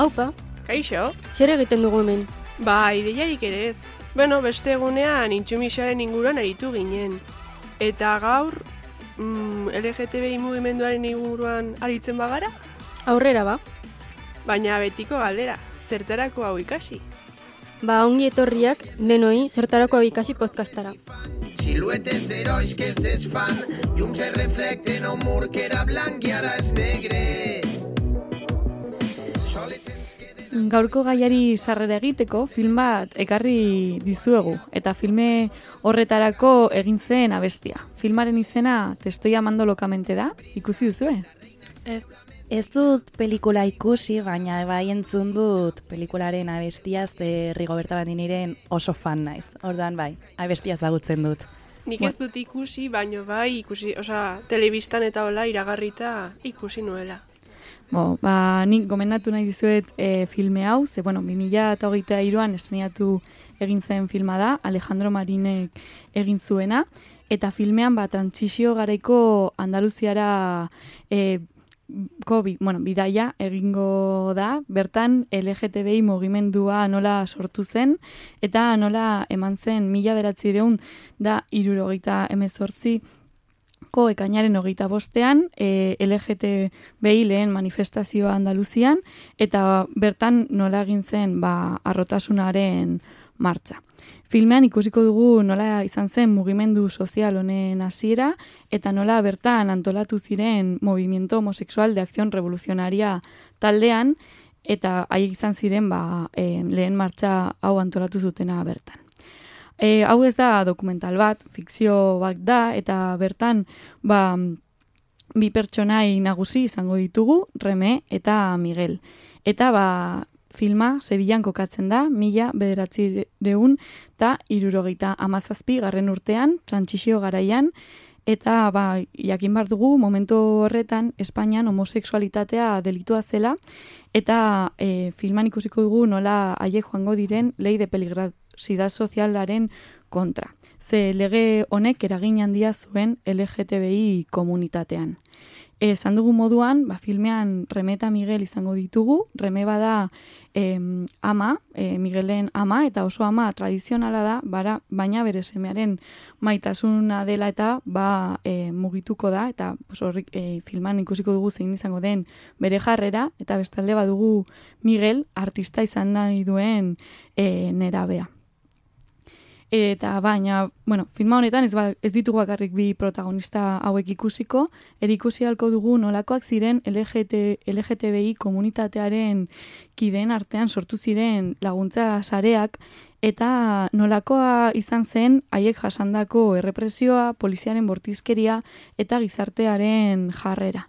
Aupa, Kaixo? zer egiten dugu hemen? Ba, ideiarik ere ez. Bueno, beste egunean intsumisaren inguruan aritu ginen. Eta gaur, LGTBI mugimenduaren inguruan aritzen bagara? Aurrera ba. Baina betiko galdera, zertarako hau ikasi? Ba, ongi etorriak denoi zertarako hau ikasi podcastara. Siluetes herois que es fan, llum se reflecte en un mur que era blanc i ara és negre. Gaurko gaiari sarrera egiteko film bat ekarri dizuegu eta filme horretarako egin zen abestia. Filmaren izena Te estoy amando locamente da, ikusi duzue? Ez dut pelikula ikusi, baina bai entzun dut pelikularen abestia, ze Rigoberta Bandiniren oso fan naiz. Orduan bai, abestia ezagutzen dut. Nik ez dut ikusi, baino bai ikusi, telebistan eta hola iragarrita ikusi nuela. Nik gomendatu nahi dizuet filme hau, ze 2023an estrenatu egin zen filma da, Alejandro Marinek egin zuena, eta filmean trantsizio garaiko Andaluziara bidaia egingo da, bertan LGTBI mugimendua nola sortu zen, eta nola eman zen 1978 ekainaren 25ean LGTBI lehen manifestazioa Andaluzian, eta bertan nola egin zen harrotasunaren martxa. Filmean ikusiko dugu nola izan zen mugimendu sozial honen hasiera eta nola bertan antolatu ziren Movimiento Homosexual de Acción Revolucionaria taldean, eta haiek izan ziren lehen martxa hau antolatu zutena bertan. Hau ez da dokumental bat, fikzio bat da, eta bertan bi pertsonai nagusi izango ditugu, Reme eta Miguel. Eta filma Sevillan kokatzen da, 1977 garren urtean, trantsizio garaian, eta jakin behar dugu momentu horretan Espainian homosexualitatea delitua zela, eta filman ikusiko dugu nola haiek joango diren lei de peligrosidad sozialaren kontra. Ze lege honek eragin handia zuen LGTBI komunitatean. Esan dugu moduan, filmean Reme eta Miguel izango ditugu. Reme bada ama, Miguelen ama, eta oso ama tradizionala da, baina bere semearen maitasuna dela eta mugituko da, eta filman ikusiko dugu zein izango den bere jarrera, eta bestalde badugu Miguel artista izan nahi duen nerabea. Eta filma honetan ez ditugu bakarrik bi protagonista hauek ikusiko, ikusi halko dugu nolakoak ziren LGTBI komunitatearen kideen artean sortu ziren laguntza sareak, eta nolakoa izan zen haiek jasandako errepresioa, poliziaren bortizkeria eta gizartearen jarrera.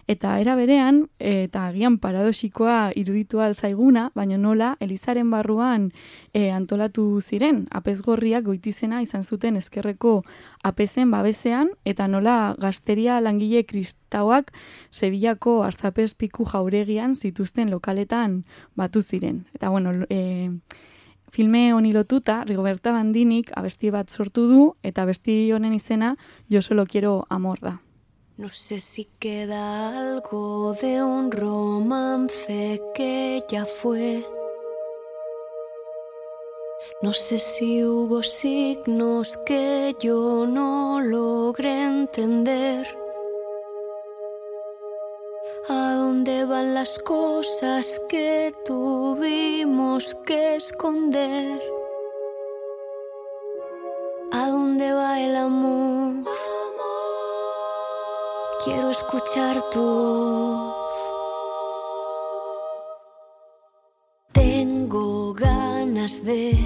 Eta era berean, eta agian paradoxikoa iruditu alzaiguna, baina nola Elizaren barruan antolatu ziren, apezgorriak goitizena izan zuten ezkerreko apezen babesean, eta nola gazteria langile kristauak Sevillako Arzapezpiku jauregian zituzten lokaletan batu ziren. Eta filme honi lotuta, Rigoberta Bandinik abesti bat sortu du, eta abesti honen izena Yo solo quiero amor da. No sé si queda algo de un romance que ya fue. No sé si hubo signos que yo no logré entender. ¿A dónde van las cosas que tuvimos que esconder? ¿A dónde va el amor? Quiero escuchar tu voz. Tengo ganas de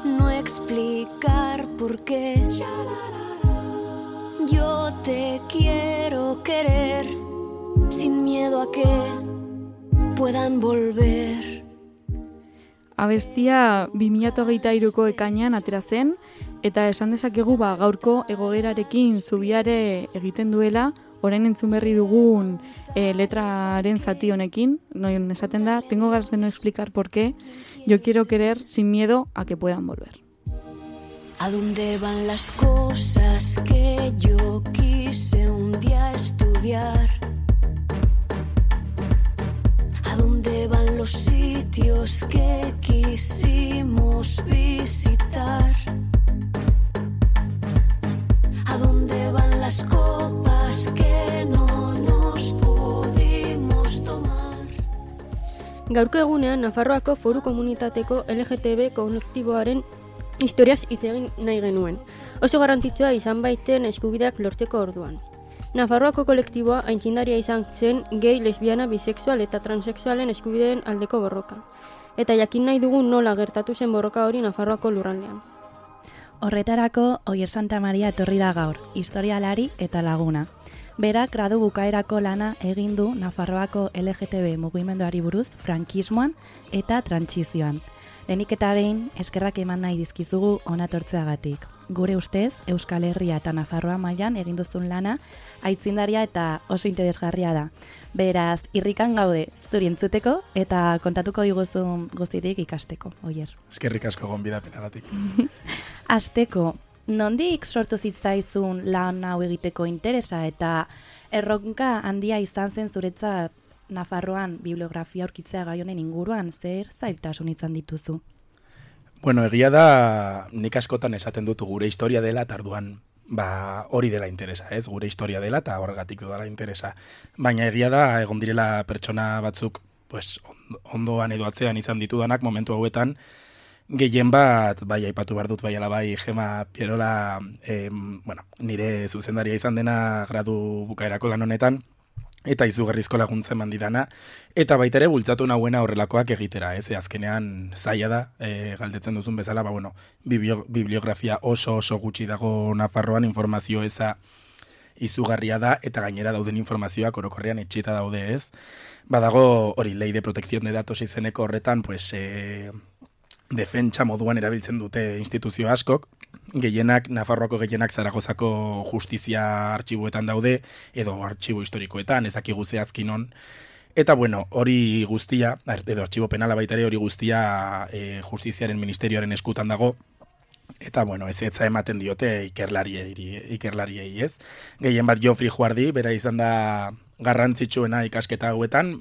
no explicar por qué. Yo te quiero querer sin miedo a que puedan volver. Abestia 2023ko ekainean atera zen, eta esan dezakegu gaurko egoerarekin zubiare egiten duela, orain entzun berri dugun letraren zati honekin, non esaten da, tengo ganas de no explicar por qué, yo quiero querer sin miedo a que puedan volver. ¿A dónde van las cosas que yo quise un día estudiar? sitios que quisimos visitar. ¿A dónde van las copas que no nos pudimos tomar? Gaurko egunean, Nafarroako Foru Komunitateko LGTB kolektiboaren historiaz hitz egin nahi genuen. Oso garrantzitsua izan baiten eskubideak lortzeko orduan. Nafarroako kolektiboa aitzindaria izan zen gay, lesbiana, bisexual eta transexualen eskubideen aldeko borroka. Eta jakin nahi dugu nola gertatu zen borroka hori Nafarroako lurraldean. Horretarako, Oier Santa Maria etorri da gaur, historialari eta laguna. Berak gradu bukaerako lana egin du Nafarroako LGTB mugimenduari buruz frankismoan eta trantsizioan. Lehenik eta behin, eskerrak eman nahi dizkizugu onatortzeagatik. Gure ustez, Euskal Herria eta Nafarroa mailan egin duzun lana, aitzindaria eta oso interesgarria da. Beraz, irrikan gaude zuri entzuteko eta kontatuko diguzun guztitik ikasteko, Oier. Eskerrik asko gonbidapenagatik. Hasteko, nondik sortu zitzaizun lan hau egiteko interesa eta erronka handia izan zen zuretzat Nafarroan bibliografia aurkitzea gai honen inguruan, zer zailtasun izan dituzu? Bueno, egia da nik askotan esaten dut gure historia dela eta orduan hori dela interesa, ez? Gure historia dela eta horregatik dela interesa. Baina egia da egon direla pertsona batzuk pues, ondoan edo atzean izan ditudanak momentu hauetan gehien bat, bai aipatu behar dut, bai alabai Gema Pierola nire zuzendaria izan dena gradu bukaerako lan honetan, eta izugarrizko laguntzen mandidana, eta baita ere bultzatu nahuena horrelakoak egitera, ez? Azkenean zaila da, galdetzen duzun bezala, bibliografia oso gutxi dago Nafarroan, informazio eza izugarria da, eta gainera dauden informazioak orokorrean etxita daude, ez? Badago hori, ley de protección de datos izeneko horretan, pues, defentsa moduan erabiltzen dute instituzio askok, Nafarroako gehienak Zaragozako justizia artxiboetan daude, edo artxibo historikoetan, ez dakigu zehazkinon. Eta bueno, hori guztia, edo artxibo penala baita ere hori guztia justiziaren ministerioaren eskutan dago, eta bueno, ez etza ematen diote ikerlariei, ez? Gehien bat Jofri Juardi, bera izan da garrantzitsuena ikasketa hauetan,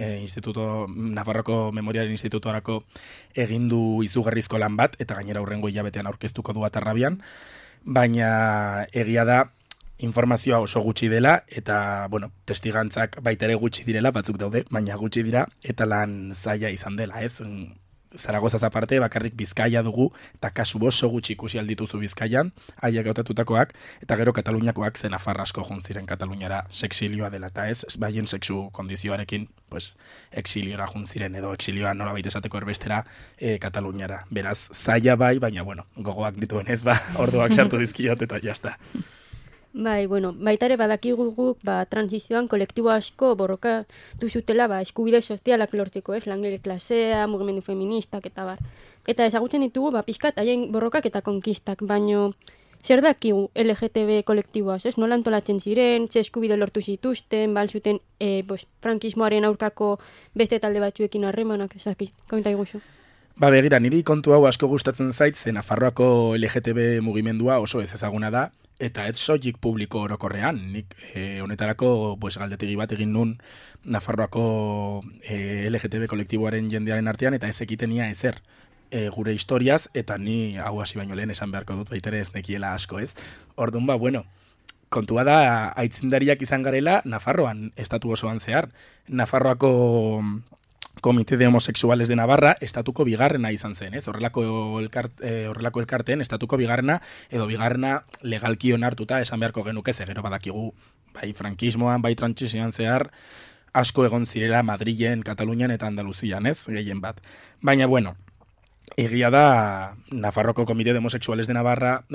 Nafarroko Memoriaren Institutuarako egindu izugarrizko lan bat, eta gainera hurrengo hilabetean aurkeztuko du Atarrabian, baina egia da informazioa oso gutxi dela, eta, bueno, testigantzak baita ere gutxi direla, batzuk daude, baina gutxi dira, eta lan zaila izan dela, ez? Zaragozaz aparte, bakarrik Bizkaia dugu, eta kasu oso gutxi ikusi aldituzu Bizkaian, haiek hautatutakoak, eta gero Kataluniakoak zen Nafarrasko juntziren Kataluniara sexilioa dela, eta ez, baien sexu kondizioarekin, pues, exiliora juntziren, edo exilioa nola baita esateko erbestera Kataluniara. Beraz, zaila bai, baina, bueno, gogoak dituen ez, orduak sartu dizkiot, eta jazta. Bai, bueno, baita ere badakigu guk transizioan kolektibo asko borrokatu zutela eskubide sozialak lortzeko, ez? Langile klasea, mugimendu feministak eta bar. Eta ezagutzen ditugu pixkat haien borrokak eta konkistak, baino zer dakigu LGTB kolektiboaz, ez? Nola antolatzen ziren, ze eskubide lortu zituzten, zuten frankismoaren aurkako beste talde batzuekin harremanak, ezaki, komenta iguzu. Begira, niri kontu hau asko gustatzen zait, zen Nafarroako LGTB mugimendua oso ez ezaguna da, eta ez soilik publiko orokorrean. Nik honetarako galdetegi bat egin nun Nafarroako LGTB kolektiboaren jendearen artean, eta ez ekitenia ezer gure historiaz, eta ni hau hasi baino lehen esan beharko dut baitere ez nekiela asko, ez? Orduan kontua da aitzindariak izan garela Nafarroan, estatu osoan zehar. Nafarroako Komite de Homosexuales de Navarra estatuko bigarrena izan zen, ez? Horrelako elkarteen estatuko bigarrena edo bigarrena legalki onartuta esan beharko genuke, ze gero badakigu bai frankismoan, bai trantsizioan zehar asko egon zirela Madrilen, Katalunian eta Andaluzian, ez? Gehien bat. Baina bueno, egia da Nafarroko Komite de Homosexuales de Navarra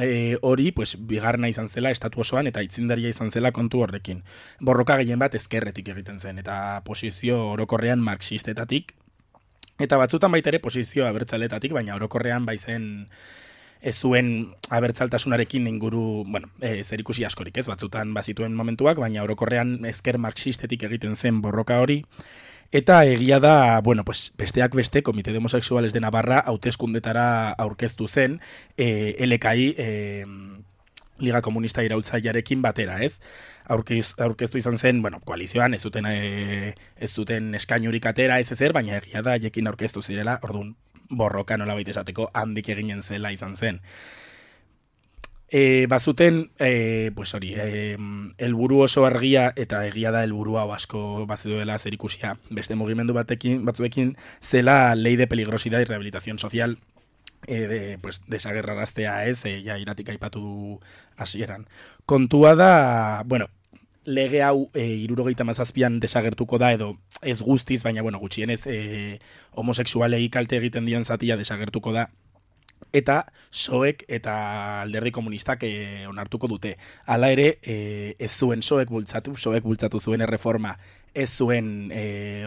hori, bigarrena izan zela estatu osoan eta aitzindaria izan zela kontu horrekin. Borroka gehien bat ezkerretik egiten zen, eta posizio orokorrean marxistetatik, eta batzutan baita ere posizio abertzaletatik, baina orokorrean baizen ez zuen abertzaltasunarekin inguru, zerikusi askorik, ez? Batzutan bazituen momentuak, baina orokorrean ezker marxistetik egiten zen borroka hori. Eta egia da, besteak beste, Komite de Homosexuales de Navarra hauteskundetara aurkeztu zen, LKI, Liga Komunista Iraultzailearekin batera, ez? aurkeztu izan zen, bueno, koalizioan ez zuten eskainurik atera ez ezer, baina egia da haiekin aurkeztu zirela, orduan borroka nolabait esateko handik eginen zela izan zen. Bazuten, pues hori, helburu oso argia eta egia da helburu hau asko bazeduela zerikusia beste mugimendu batzuekin zela ley de peligrosidad y rehabilitación social, pues desagerraraztea ez, ja iratik aipatu hasieran. Kontua da, bueno, lege hau 77an desagertuko da edo ez guztiz, baina bueno, gutxienez homosexualei kalte egiten dion zatia desagertuko da. Eta soek eta alderdi komunistak onartuko dute. Hala ere, ez zuen soek bultzatu zuen erreforma, ez zuen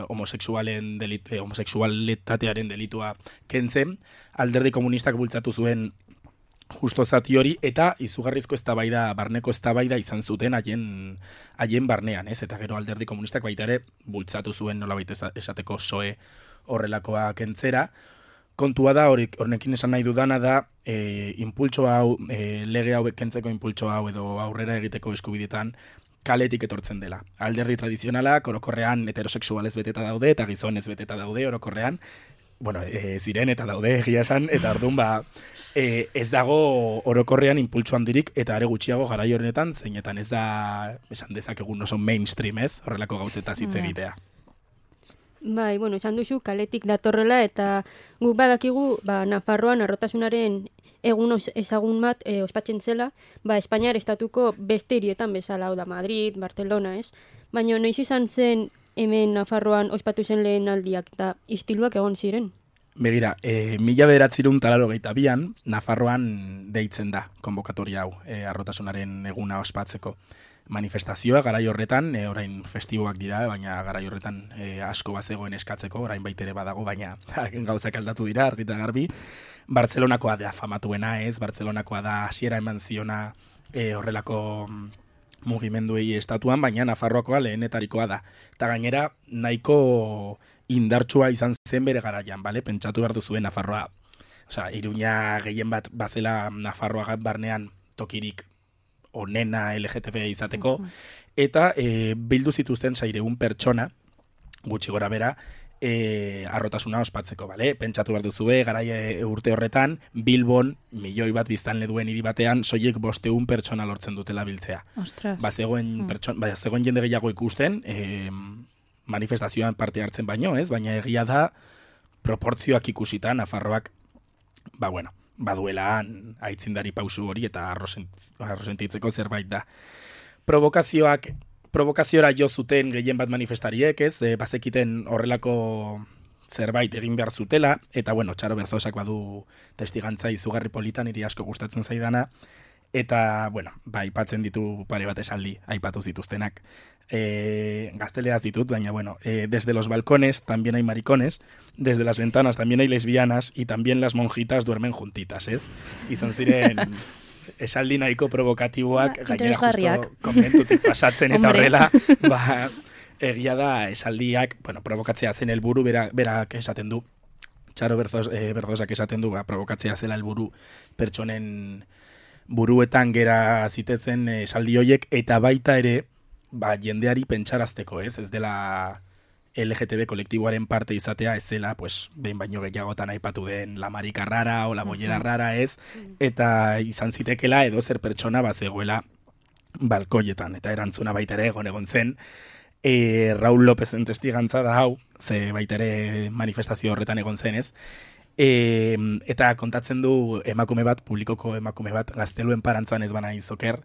homosexualitatearen delitua kentzen, alderdi komunistak bultzatu zuen justo zati hori, eta izugarrizko eztabaida, barneko eztabaida izan zuten haien barnean, ez? Eta gero alderdi komunistak baita ere bultzatu zuen nolabait esateko soe horrelakoa kentzera. Kontua da, horrekin esan nahi dudana da, impultso hau, lege hau kentzeko impultso hau edo aurrera egiteko eskubidetan kaletik etortzen dela. Alderdi tradizionalak orokorrean heterosexualez beteta daude eta gizonez beteta daude orokorrean, bueno, ziren eta daude egia esan, eta orduan ez dago orokorrean impultso handirik eta are gutxiago garai horretan, zeinetan ez da, esan dezakegun oso mainstream ez, horrelako gauzetaz hitz egitea. Bai, bueno, esan duzu kaletik datorrela eta guk badakigu, Nafarroan arrotasunaren egun ezagun bat ospatzen zela, Espainiar estatuko beste hirietan bezala, hau da Madrid, Barcelona, ez? Baina noiz izan zen hemen Nafarroan ospatu zen lehen aldiak eta istiluak egon ziren? Begira, 1982an Nafarroan deitzen da konbokatoria hau, arrotasunaren eguna ospatzeko. Manifestazioa garai horretan, orain festiboak dira, baina garai horretan asko bazegoen eskatzeko, orain baitere badago, baina gauzak aldatu dira, argita garbi. Bartzelonakoa da famatuena, ez? Bartzelonakoa da hasiera eman ziona horrelako mugimenduei estatuan, baina Nafarroakoa lehenetarikoa da. Eta gainera, nahiko indartsua izan zen bere garaian, bale? Pentsatu behar duzuen Nafarroa. Osea, Iruña gehien bat bazela Nafarroa barnean tokirik onena LGTB izateko, eta bildu zituzten 600 pertsona, gutxi gora bera, arrotasuna ospatzeko, bale? Pentsatu behar duzue, garai urte horretan, Bilbon, 1 milioi bat biztanle duen hiri batean, soilik 500 pertsona lortzen dutela biltzea. Ostras. Zegoen jende gehiago ikusten, manifestazioan parte hartzen baino, ez? Baina egia da, proportzioak ikusita, Nafarroak, baduela aitzindari pausu hori eta arrosentitzeko zerbait da. Provokaziora jo zuten gehien bat manifestariek, ez? Bazekiten horrelako zerbait egin behar zutela, eta Txaro Berzosak badu testigantza izugarri politan, niri asko gustatzen zaidana, eta, aipatzen ditu pare bat esaldi, aipatu zituztenak. Gazteleaz ditut, baina, desde los balcones también hay maricones, desde las ventanas también hay lesbianas, y también las monjitas duermen juntitas, ez? Izan ziren esaldi nahiko provokatiboak, gainera justo komentutik pasatzen eta horrela, egia da esaldiak, provokatzea zen helburu, berak esaten du, Txaro Berzosak esaten du, provokatzea zela helburu pertsonen buruetan gera zitezen esaldi hoiek, eta baita ere, jendeari pentsarazteko, ez dela LGTB kolektiboaren parte izatea, ez zela, behin baino gehiagotan aipatu den la marika rara o la bollera rara, ez, eta izan zitekela edo zer pertsona bazegoela balkoietan, eta erantzuna baita ere egon zen, Raúl Lópezen testigantza da hau, ze baita ere manifestazio horretan egon zen, ez, eta kontatzen du emakume bat, publikoko emakume bat, Gazteluen parantzan ez bana izoker,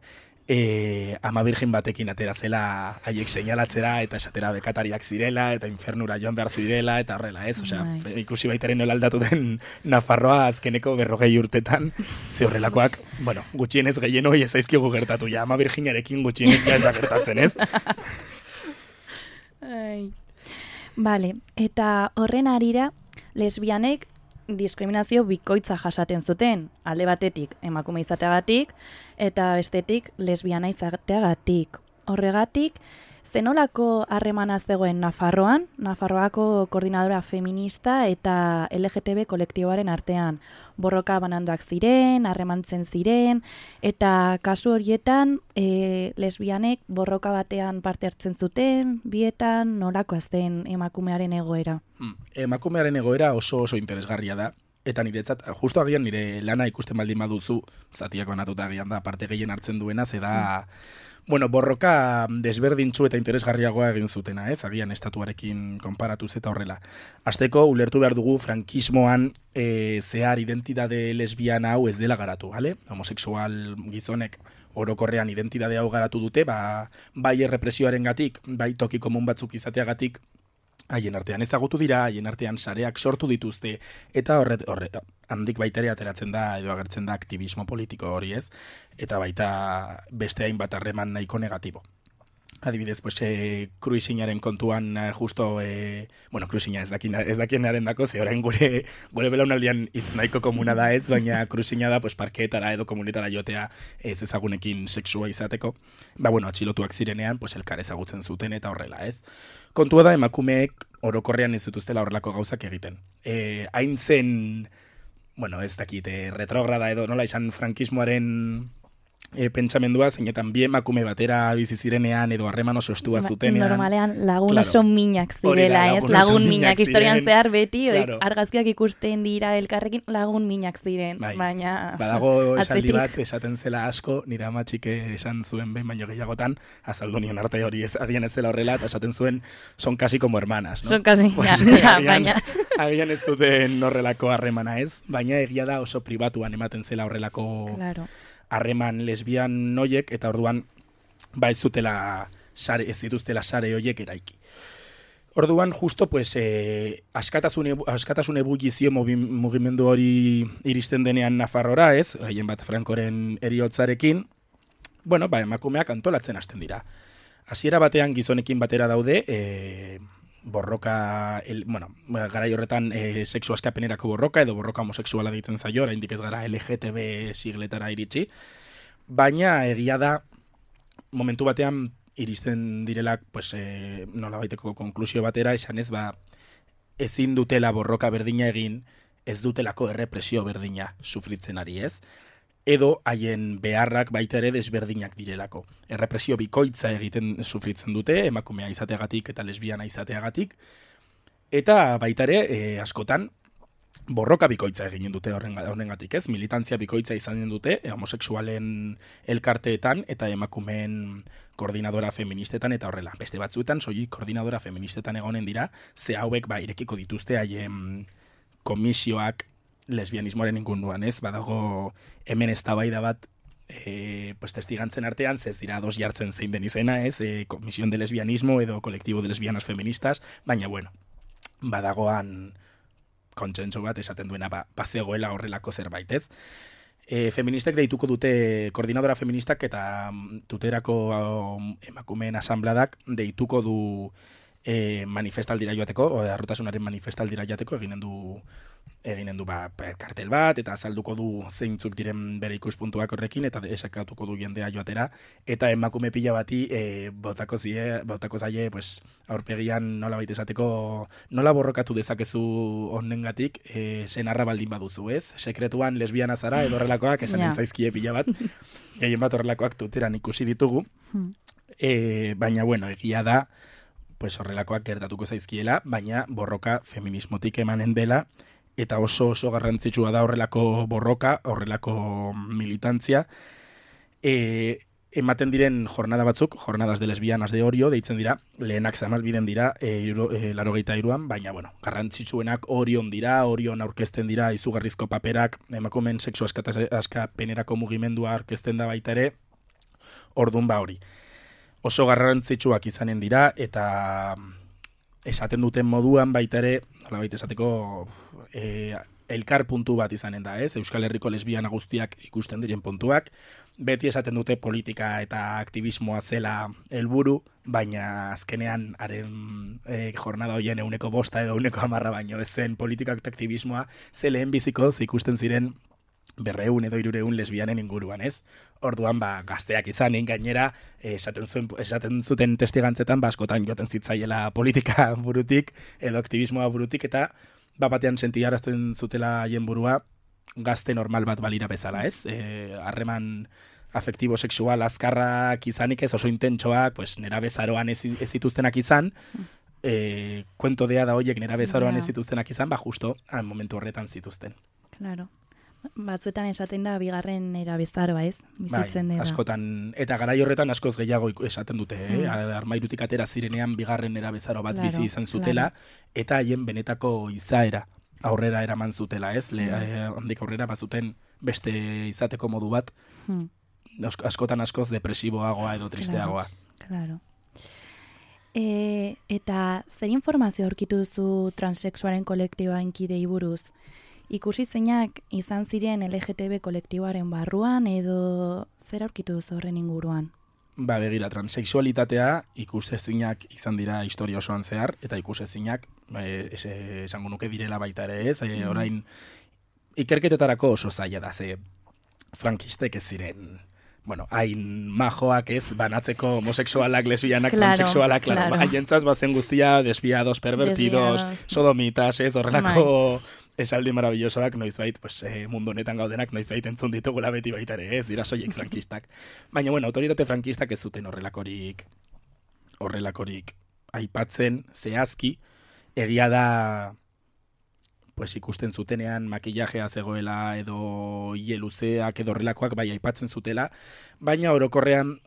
ama virgin batekin atera zela haiek seinalatzera eta esatera bekatariak zirela eta infernura joan behar zirela eta horrela, ez? Osea, ikusi baitaren nola aldatu den Nafarroa azkeneko 40 urtetan, ze horrelakoak, gutxienez gehien hori ez zaizkigu gertatu, ja, ama virginarekin gutxienez ja ez da gertatzen, ez? Vale, eta horren arira, lesbianek diskriminazio bikoitza jasaten zuten, alde batetik emakume izateagatik, eta bestetik lesbiana izateagatik. Horregatik, zenolako harremana zegoen Nafarroan, Nafarroako koordinadora feminista eta LGTB kolektiboaren artean. Borroka bananduak ziren, harremantzen ziren, eta kasu horietan lesbianek borroka batean parte hartzen zuten, bietan nolakoa zen emakumearen egoera. Emakumearen egoera oso interesgarria da. Eta niretzat, justo agian nire lana ikusten baldin baduzu, zatiak banatuta agian da, parte gehien hartzen duena, zeda, borroka desberdintzu eta interesgarriagoa egin zutena, agian estatuarekin konparatuz eta horrela. Hasteko ulertu behar dugu frankismoan zehar identitate lesbiana hau ez dela garatu, bale? Homosexual gizonek orokorrean identitate hau garatu dute, bai errepresioarengatik, bai toki komun batzuk izateagatik, haien artean ezagutu dira, haien artean sareak sortu dituzte, eta horre handik baita ere ateratzen da, edo agertzen da aktivismo politiko hori ez, eta baita beste hainbat harreman nahiko negatibo. Adibidez, kruizinaren kontuan justo, kruizina ez dakienaren dako, ze orain gure belaunaldian hitz nahiko komuna da ez, baina kruizina da parkeetara edo komunetara jotea ez ezagunekin sexua izateko. Atxilotuak zirenean, elkar ezagutzen zuten eta horrela ez. Kontua da emakumeek orokorrean ez dituztela horrelako gauzak egiten. Hain zen, ez dakit, retrograda edo nola izan frankismoaren pentsamendua, zeinetan bi emakume batera bizi zirenean edo harreman oso estua zutenean. Normalean lagun oso minak zirela, ez? Lagun minak historian zehar beti, argazkiak ikusten dira elkarrekin lagun minak ziren, baina... Badago esaldi bat, esaten zela asko, nire amatxik esan zuen behin baino gehiagotan, azaldu nion arte hori agian ez zela horrela, eta esaten zuen, son casi como hermanas, no? Son casi, baina... Agian ez zuten horrelako harremana, ez? Baina egia da oso pribatuan ematen zela horrelako... harreman lesbian noiek, eta orduan ez dituztela sare hoiek eraiki. Orduan, justo, askatasun ebulizio mugimendu hori iristen denean Nafarrora, ez? Gehien bat Frankoren eriotzarekin, emakumeak antolatzen hasten dira. Hasiera batean gizonekin batera daude, borroka, garai horretan sexu askapenerako borroka edo borroka homosexuala deitzen zaio, oraindik ez gara LGTB sigletara iritsi, baina egia da momentu batean iristen direlak nolabaiteko konklusio batera esanez ezin dutela borroka berdina egin, ez dutelako errepresio berdina sufritzen ari ez, edo haien beharrak baita ere desberdinak direlako. Errepresio bikoitza egiten sufritzen dute, emakumea izateagatik eta lesbiana izateagatik, eta baita ere askotan borroka bikoitza eginen dute horrengatik, ez? Militantzia bikoitza izanen dute homosexualen elkarteetan eta emakumeen koordinadora feministetan eta horrela. Beste batzuetan soilik koordinadora feministetan egonen dira, ze hauek irekiko dituzte haien komisioak lesbianismoaren inguruan, ez? Badago hemen eztabaida bat testigantzen artean, ez dira ados jartzen zein den izena, ez? Comisión de lesbianismo edo colectivo de lesbianas feministas, baina badagoan kontsentsu bat esaten duena bazegoela horrelako zerbait, ez? Feministek deituko dute, koordinadora feministak eta tuterako emakumeen asambladak deituko du manifestaldira joateko, arrotasunaren manifestaldira joateko eginen du kartel bat, eta azalduko du zeintzuk diren bere ikuspuntuak horrekin, eta esakatuko du jendea joatera, eta emakume pila bati botako zaie aurpegian nolabait esateko nola borrokatu dezakezu honengatik senarra baldin baduzu, ez? Sekretuan lesbiana zara edo horrelakoak esanen zaizkie pila bat, gehien bat horrelakoak tuteran ikusi ditugu, baina egia da horrelakoak gertatuko zaizkiela, baina borroka feminismotik emanen dela, eta oso garrantzitsua da horrelako borroka, horrelako militantzia. Ematen diren jornada batzuk, jornadas de lesbianas de Orio, deitzen dira, lehenak zamalbiden dira, 83an, baina, garrantzitsuenak Orion dira, Orion aurkezten dira, izugarrizko paperak, emakumeen sexu askapenerako mugimendua aurkezten da baita ere, ordun hori. Oso garrantzitsuak izanen dira, eta esaten duten moduan baita ere, nolabait esateko elkar puntu bat izanen da, ez? Euskal Herriko lesbiana guztiak ikusten diren puntuak, beti esaten dute politika eta aktivismoa zela helburu, baina azkenean haren jornada horien 105 edo 110 baino ez zen politika eta aktivismoa, ze lehen bizikoz ikusten ziren 200 edo 300 lesbianen inguruan, ez? Orduan, gazteak izanin gainera, esaten zuten testigantzetan, askotan joaten zitzaiela politika burutik, edo aktivismoa burutik, eta batean sentiarazten zutela haien burua gazte normal bat balira bezala, ez? Harreman afektibo sexual azkarrak izanik ez, oso intentsoak, pues, nera bezaroan ez zituztenak izan, kuento dea da horiek nera bezaroan ez zituztenak izan, justo momentu horretan zituzten. Claro. Batzuetan esaten da bigarren erabezaroa, ez? Bizitzen dela. Askotan, eta garai horretan askoz gehiago esaten dute, armairutik atera zirenean bigarren erabezaro bat bizi izan zutela, eta haien benetako izaera aurrera eraman zutela, ez? Handik aurrera bazuten beste izateko modu bat, askotan askoz depresiboagoa edo tristeagoa. Claro. Eta zer informazio aurkitu duzu transexualen kolektiboaren kidei buruz? Ikusi zeinak izan ziren LGTB kolektiboaren barruan edo zer aurkitu duzu horren inguruan? Begira, transexualitatea ikusezinak izan dira historia osoan zehar, eta ikusezinak esango nuke direla baita ere ez, orain ikerketetarako oso zaila da, ze frankistek ez ziren, hain majoak ez, banatzeko homosexualak, lesbianak, transexualak, haientzat bazen guztia, desviados, pervertidos, sodomitas, ez, horrelako esaldi maravillosoak noizbait, mundu honetan gaudenak noizbait entzun ditugula beti baita ere, ez dira soilik frankistak. Baina, autoritate frankistak ez zuten horrelakorik aipatzen zehazki, egia da ikusten zutenean makillajea zegoela edo hile luzeak edo horrelakoak bai aipatzen zutela, baina orokorrean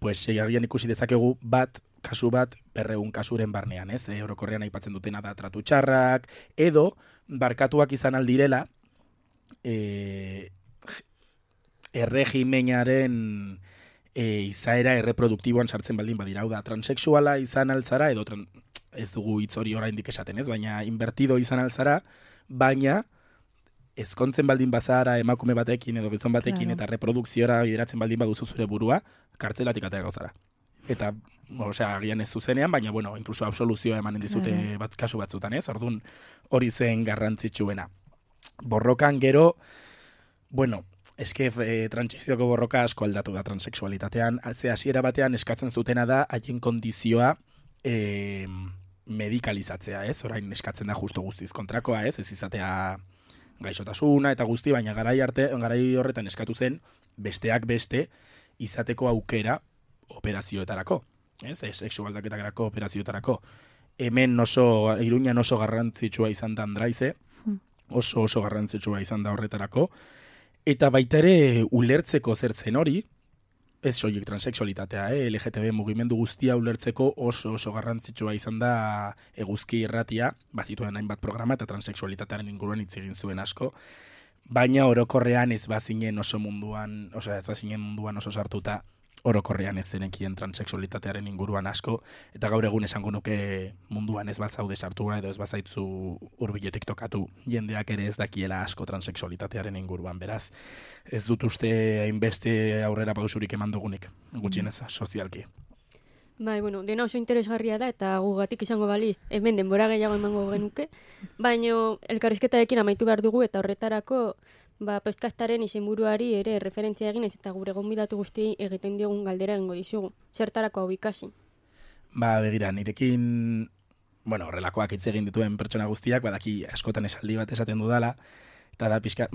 agian ikusi dezakegu kasu bat 200 kasuren barnean, ez? Orokorrean aipatzen dutena da tratu txarrak, edo barkatuak izan aldirela erregimenaren izaera erreproduktiboan sartzen baldin badira, hau da, transexuala izan altzara, edo ez dugu hitz hori oraindik esaten, ez? Baina invertido izan altzara, baina ezkontzen baldin bazara emakume batekin edo gizon batekin eta reprodukziora bideratzen baldin baduzu zure burua, kartzelatik atera gauzara. Eta, agian ez zuzenean, baina, incluso absoluzioa emanen dizute kasu batzutan, ez? Orduan hori zen garrantzitsuena. Borrokan gero, eske trantsizioko borroka asko aldatu da transexualitatean, hasiera batean eskatzen zutena da haien kondizioa medikalizatzea, ez? Orain eskatzen da justo guztiz kontrakoa, ez? Ez izatea gaixotasuna eta guzti, baina garai horretan eskatu zen besteak beste izateko aukera operazioetarako, ez? Sexualdaketarako operazioetarako. Hemen Iruñan oso garrantzitsua izan da Andraize, oso garrantzitsua izan da horretarako, eta baita ere ulertzeko zertzen hori, ez soilik transexualitatea, LGTB mugimendu guztia ulertzeko oso garrantzitsua izan da Eguzki Irratia, bazituen hainbat programa eta transexualitatearen inguruan hitz egin zuen asko, baina orokorrean ez bazinen munduan oso sartuta, orokorrean ez zenekien transexualitatearen inguruan asko, eta gaur egun esango nuke munduan ez batzaude sartua edo ez bazaitzu hurbiletik tokatu jendeak ere ez dakiela asko transexualitatearen inguruan, beraz ez dut uste hainbeste aurrera pausurik eman dugunik, gutxienez sozialki. Dena oso interesgarria da eta gugatik izango baliz, hemen denbora gehiago emango genuke, baina elkarrizketarekin amaitu behar dugu eta horretarako podcastaren izenburuari ere referentzia egin ez eta gure gonbidatu guztiei egiten diogun galdera egingo dizugu. Zertarako hau ikasi? Begira, nirekin, horrelakoak hitz egin dituen pertsona guztiak, badaki askotan esaldi bat esaten dudala, eta da pixka,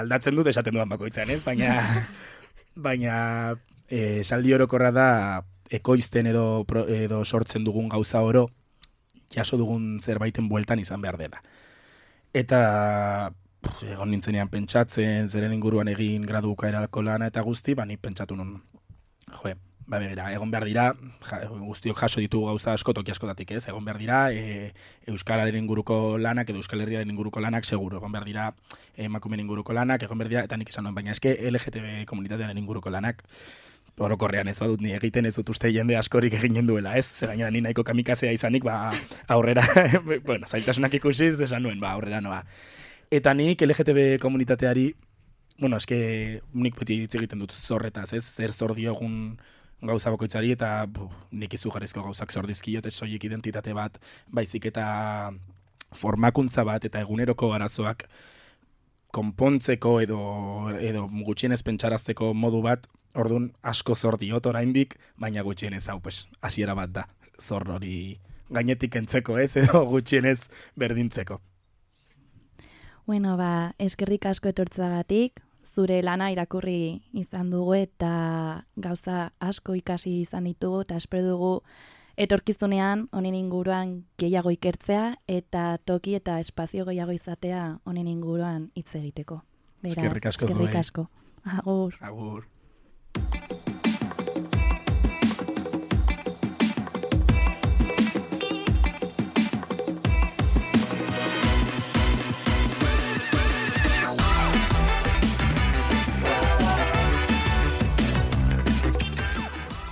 aldatzen dut esaten dudan bakoitzan, ez? Baina esaldi orokorra da ekoizten edo sortzen dugun gauza oro, jaso dugun zerbaiten bueltan izan behar dela. Eta egon nintzenean pentsatzen, zeren inguruan egin gradu bukaerako lana eta guzti, nik pentsatu nun. Begira, egon behar dira, guztiok jaso ditugu gauza asko toki askotatik, ez? Egon behar dira, Euskararen inguruko lanak edo Euskal Herriaren inguruko lanak, seguro. Egon behar dira, emakumeen inguruko lanak, egon behar dira, eta nik esan nuen, baina eske LGTB komunitatearen inguruko lanak, orokorrean ez badut, ni egiten ez dut uste jende askorik eginen duela, ez? Zer gainera ni nahiko kamikazea izanik, aurrera, zailtasunak ikusiz, esan nuen, aurrera noa. Eta nik LGTB komunitateari, eske nik beti hitz egiten dut zorretaz, ez? Zer zor diogun gauza bakoitzari eta nik izugarrizko gauzak zor dizkiot, ez soilik identitate bat, baizik eta formakuntza bat eta eguneroko arazoak konpontzeko edo gutxienez pentsarazteko modu bat, orduan asko zor diot oraindik, baina gutxienez hau, hasiera bat da, zor hori gainetik kentzeko edo gutxienez berdintzeko. Bueno, eskerrik asko etortzagatik, zure lana irakurri izan dugu eta gauza asko ikasi izan ditugu eta espero dugu etorkizunean honen inguruan gehiago ikertzea eta toki eta espazio gehiago izatea honen inguruan hitz egiteko. Beraz, eskerrik asko. Agur. Agur.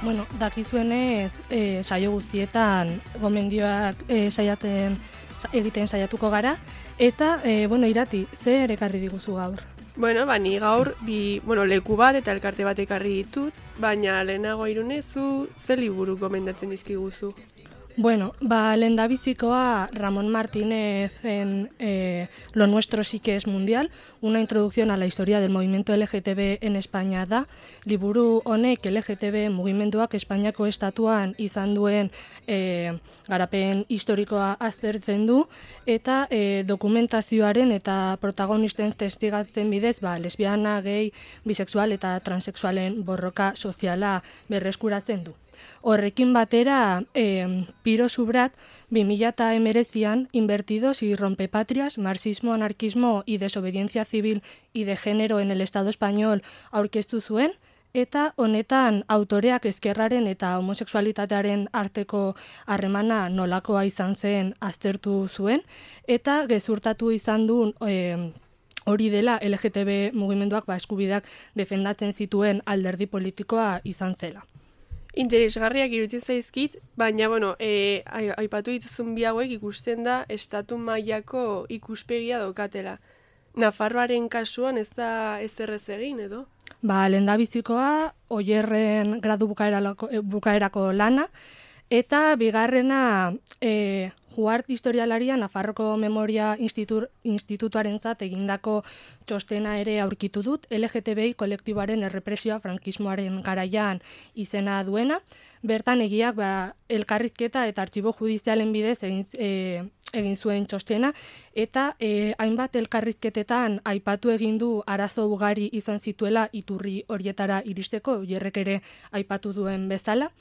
Bueno, dakizuenez, saio guztietan gomendioak egiten saiatuko gara, eta, Irati, zer ekarri diguzu gaur? Bueno, ni gaur leku bat eta elkarte bat ekarri ditut, baina lehenago Irune, zu zer liburu gomendatzen dizkiguzu? Bueno, lehendabizikoa Ramón Martínez en Lo nuestro sí que es mundial, una introducción a la historia del movimiento LGTB en España da. Liburu honek LGTB mugimenduak Espainiako estatuan izan duen garapen historikoa aztertzen du, eta dokumentazioaren eta protagonisten testigatzen bidez, lesbiana, gay, bisexual eta transexualen borroka soziala berreskuratzen du. Horrekin batera, Piro Subrat 2019an Invertidos y Rompepatrias, Marxismo, Anarquismo y Desobediencia Civil y de Género en el Estado Español aurkeztu zuen, eta honetan autoreak ezkerraren eta homosexualitatearen arteko harremana nolakoa izan zen aztertu zuen, eta gezurtatu izan duen hori dela LGTB mugimenduak eskubideak defendatzen zituen alderdi politikoa izan zela. Interesgarriak iruditzen zaizkit, baina, aipatu dituzun bi hauek ikusten da estatu mailako ikuspegia daukatela. Nafarroaren kasuan ez da ezerrez egin, edo? Lehendabizikoa, Oierren gradu bukaerako lana, eta bigarrena Juart historialaria Nafarroko Memoria Institutuarentzat egindako txostena ere aurkitu dut, LGTBI kolektiboaren errepresioa frankismoaren garaian izena duena. Bertan egiak elkarrizketa eta artxibo judizialen bidez egin zuen txostena, eta hainbat elkarrizketetan aipatu egin du arazo ugari izan zituela iturri horietara iristeko, Oierrek ere aipatu duen bezala.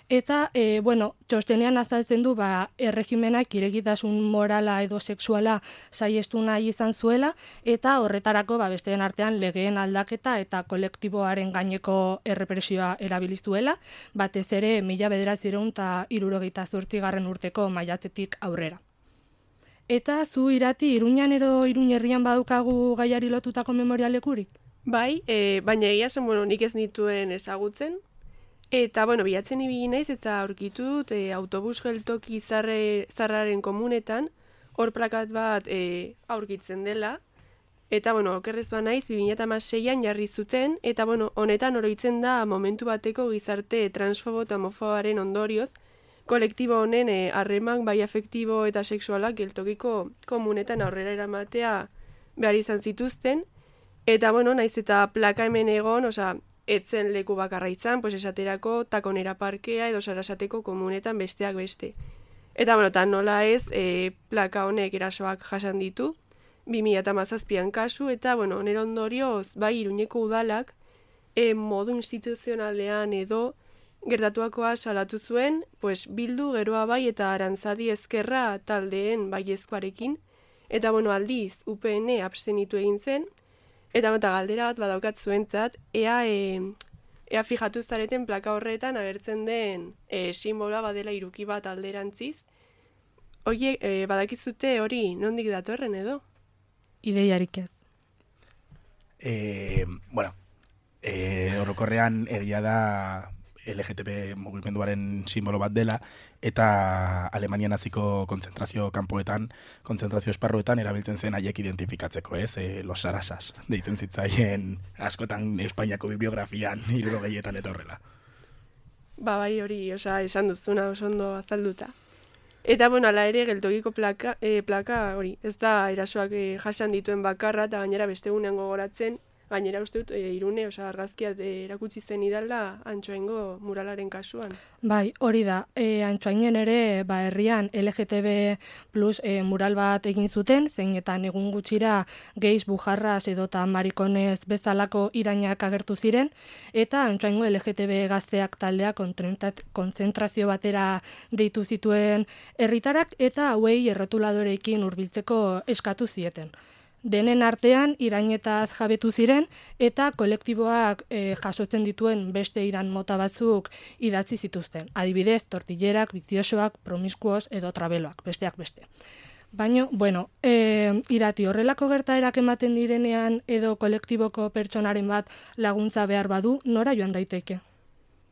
Eta, txostenean azaltzen du, erregimenak irekitasun morala edo sexuala saiestu nahi izan zuela, eta horretarako, besteen artean, legeen aldaketa eta kolektiboaren gaineko errepresioa erabiliztuela, batez ere 1978 urteko maiatzetik aurrera. Eta zu Irati, Iruñan edo Iruñerrian badukagu gaiari lotutako memorialekurik? Bai, baina egia zen, nik ez nituen ezagutzen, eta, bilatzen ibili naiz eta aurkitu dut autobus geltoki zarraren komunetan, hor plakat bat aurkitzen dela, eta, okerrez naiz 2016an jarri zuten, eta, honetan oroitzen da momentu bateko gizarte transfobo eta homofoboaren ondorioz, kolektibo honen harreman bai afektibo eta sexualak geltokiko komunetan aurrera eramatea behar izan zituzten, eta, naiz eta plaka hemen egon, etzen leku bakarra izan, esaterako Takonera parkea edo Sarasateko komunetan besteak beste. Eta, nola ez, plaka honek erasoak jasan ditu, 2017an kasu, eta, nire ondorioz, Iruñeko udalak, modu instituzionalean edo gertatuakoa salatu zuen, Bildu, Geroa bai eta Arantzadi Ezkerra taldeen baiezkoarekin, eta, aldiz, UPN abstenitu egin zen, eta galdera bat badaukat zuentzat, ea fijatu zareten plaka horretan agertzen den simboloa badela hiruki bat alderantziz. Oie, badakizute hori nondik datorren edo? Ideiarik ez. Orokorrean egia da LGTB mugimenduaren simbolo bat dela, eta Alemania naziko kontzentrazio kanpoetan, kontzentrazio esparruetan erabiltzen zen haiek identifikatzeko, los sarasas, deitzen zitzaien askotan Espainiako bibliografian 60etan eta horrela. Bai hori, esan duzuna oso ondo azalduta. Eta, bueno, ala ere, geltokiko plaka hori, ez da erasoak jasan dituen bakarra, eta gainera beste egunean gogoratzen, gainera uste dut, Irune, argazkiat erakutsi zen idala Antsoaingo muralaren kasuan. Bai, hori da, Antsoainen ere, herrian LGTB plus mural bat egin zuten, zeinetan egun gutxira geiz, bujarras edota marikonez bezalako irainak agertu ziren, eta Antsoaingo LGTB gazteak taldea konzentrazio batera deitu zituen herritarak, eta hauei errotuladoreekin hurbiltzeko eskatu zieten. Denen artean irainetaz jabetu ziren eta kolektiboak jasotzen dituen beste iran mota batzuk idatzi zituzten. Adibidez, tortillerak, biziosoak, promiskuos edo trabeloak, besteak beste. Baina, Irati, horrelako gertaerak ematen direnean edo kolektiboko pertsonaren bat laguntza behar badu, nora joan daiteke?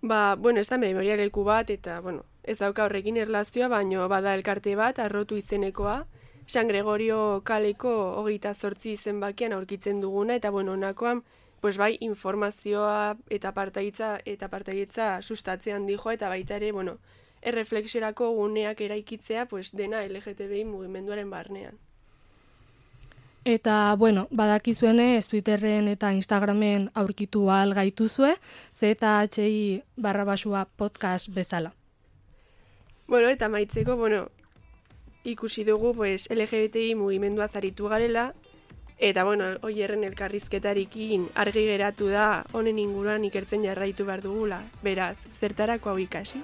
Ez da memoria leku bat eta, ez dauka horrekin erlazioa, baina bada elkarte bat, Arrotu izenekoa, San Gregorio kaleko 28 izenbakian aurkitzen duguna, eta honakoan, informazioa eta partaidetza sustatzean dijoa, eta baita ere, erreflexiorako guneak eraikitzea, dena LGTBI mugimenduaren barnean. Eta, badakizuenez, Twitterren eta Instagramen aurkitu ahal gaituzue, ZHI__ podcast bezala. Eta maitzeko, ikusi dugu LGBTI mugimendua zaritu garela, eta Oierren elkarrizketarekin argi geratu da honen inguruan ikertzen jarraitu behar dugula. Beraz, zertarako hau ikasi?